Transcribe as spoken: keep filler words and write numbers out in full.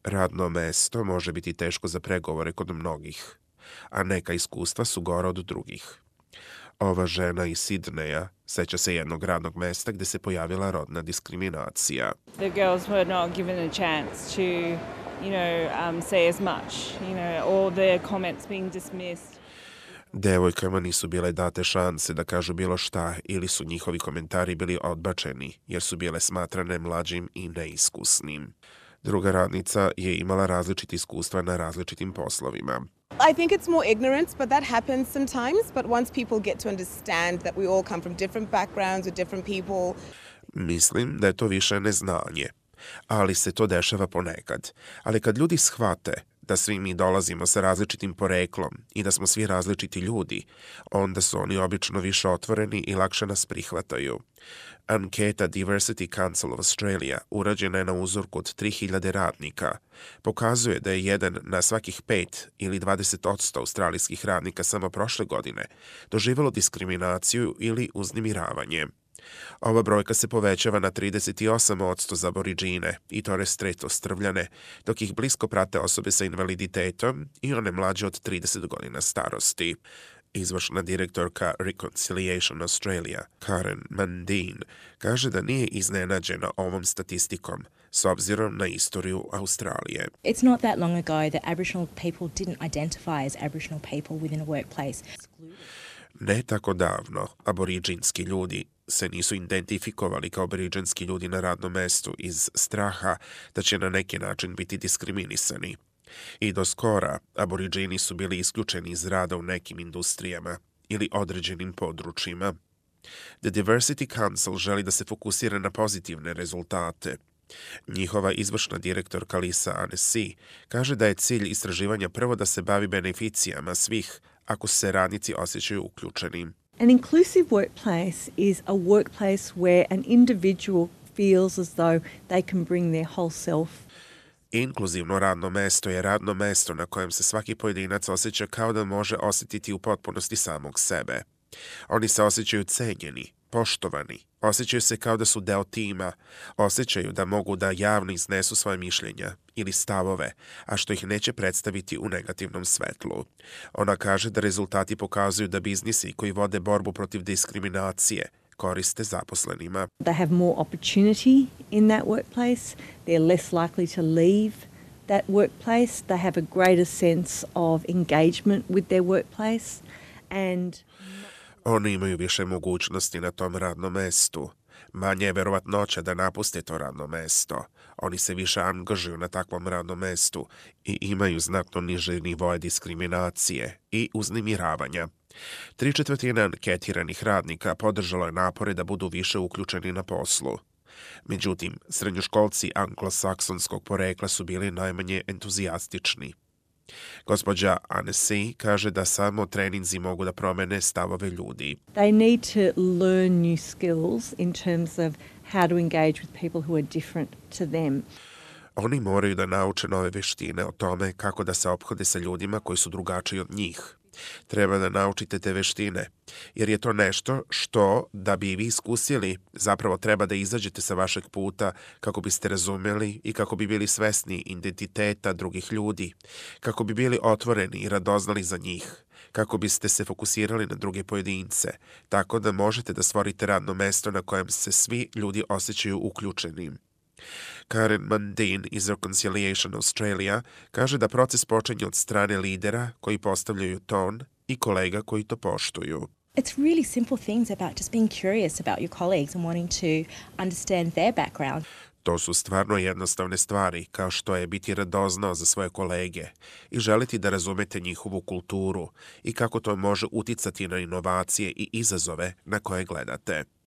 Radno mesto može biti teško za pregovore kod mnogih, a neka iskustva su gora od drugih. Ova žena iz Sidneja seća se jednog radnog mesta gde se pojavila rodna diskriminacija. The girls were not given a chance to, you know, um, say as much, you know, all their comments being dismissed. Devojkama nisu bile date šanse da kažu bilo šta ili su njihovi komentari bili odbačeni jer su bile smatrane mlađim i neiskusnim. Druga radnica je imala različite iskustva na različitim poslovima. I think it's more ignorance, but that happens sometimes. But once people get to understand that we all come from different backgrounds with different people. Mislim da je to više neznanje, ali se to dešava ponekad. Ali kad ljudi shvate da svi mi dolazimo sa različitim poreklom i da smo svi različiti ljudi, onda su oni obično više otvoreni i lakše nas prihvataju. Anketa Diversity Council of Australia, urađena je na uzorku od tri hiljade radnika, pokazuje da je jedan na svakih pet ili dvadeset posto australijskih radnika samo prošle godine doživelo diskriminaciju ili uznemiravanje. Ova brojka se povećava na trideset osam posto za Aboridžine i Torres Strait Ostrvljane, dok ih blisko prate osobe sa invaliditetom i one mlađe od trideset godina starosti. Izvršna direktorka Reconciliation Australia, Karen Mundine, kaže da nije iznenađena ovom statistikom s obzirom na istoriju Australije. It's not that long ago that Aboriginal people didn't identify as Aboriginal people within a workplace. Ne tako davno, aboriđinski ljudi se nisu identifikovali kao aboriđinski ljudi na radnom mestu iz straha da će na neki način biti diskriminisani. I do skora, aboriđini su bili isključeni iz rada u nekim industrijama ili određenim područjima. The Diversity Council želi da se fokusira na pozitivne rezultate. Njihova izvršna direktorka Lisa Annecy kaže da je cilj istraživanja prvo da se bavi beneficijama svih ako se radnici osjećaju uključenim. An inclusive workplace is a workplace where an individual feels as though they can bring their whole self. Inkluzivno radno mesto je radno mesto na kojem se svaki pojedinac osjeća kao da može osjetiti u potpunosti samog sebe. Oni se osjećaju cenjeni, poštovani, osjećaju se kao da su deo tima, osjećaju da mogu da javno iznesu svoje mišljenja ili stavove, a što ih neće predstaviti u negativnom svetlu. Ona kaže da rezultati pokazuju da biznisi koji vode borbu protiv diskriminacije koriste zaposlenima. They have more opportunity in that workplace. They're less likely to leave that workplace. They have a greater sense of engagement with their workplace and Oni imaju više mogućnosti na tom radnom mestu. Manje je verovatnoća da napuste to radno mesto. Oni se više angažuju na takvom radnom mestu i imaju znatno niže nivoe diskriminacije i uznemiravanja. Tri četvrtine anketiranih radnika podržalo je napore da budu više uključeni na poslu. Međutim, srednjoškolci anglosaksonskog porekla su bili najmanje entuzijastični. Gospođa Annecy kaže da samo treninzi mogu da promene stavove ljudi. they need to learn new skills in terms of how to engage with people who are different to them. Oni moraju da nauče nove veštine o tome kako da se ophode sa ljudima koji su drugačiji od njih. Treba da naučite te veštine, jer je to nešto što, da bi vi iskusili, zapravo treba da izađete sa vašeg puta kako biste razumeli i kako bi bili svesni identiteta drugih ljudi, kako bi bili otvoreni i radoznali za njih, kako biste se fokusirali na druge pojedince, tako da možete da stvorite radno mesto na kojem se svi ljudi osjećaju uključenim. Karen Mundine iz Reconciliation Australia kaže da proces počinje od strane lidera koji postavljaju ton i kolega koji to poštuju. It's really simple things about just being curious about your colleagues and wanting to understand their background. To su stvarno jednostavne stvari, kao što je biti radoznao za svoje kolege i želiti da razumete njihovu kulturu i kako to može uticati na inovacije i izazove na koje gledate.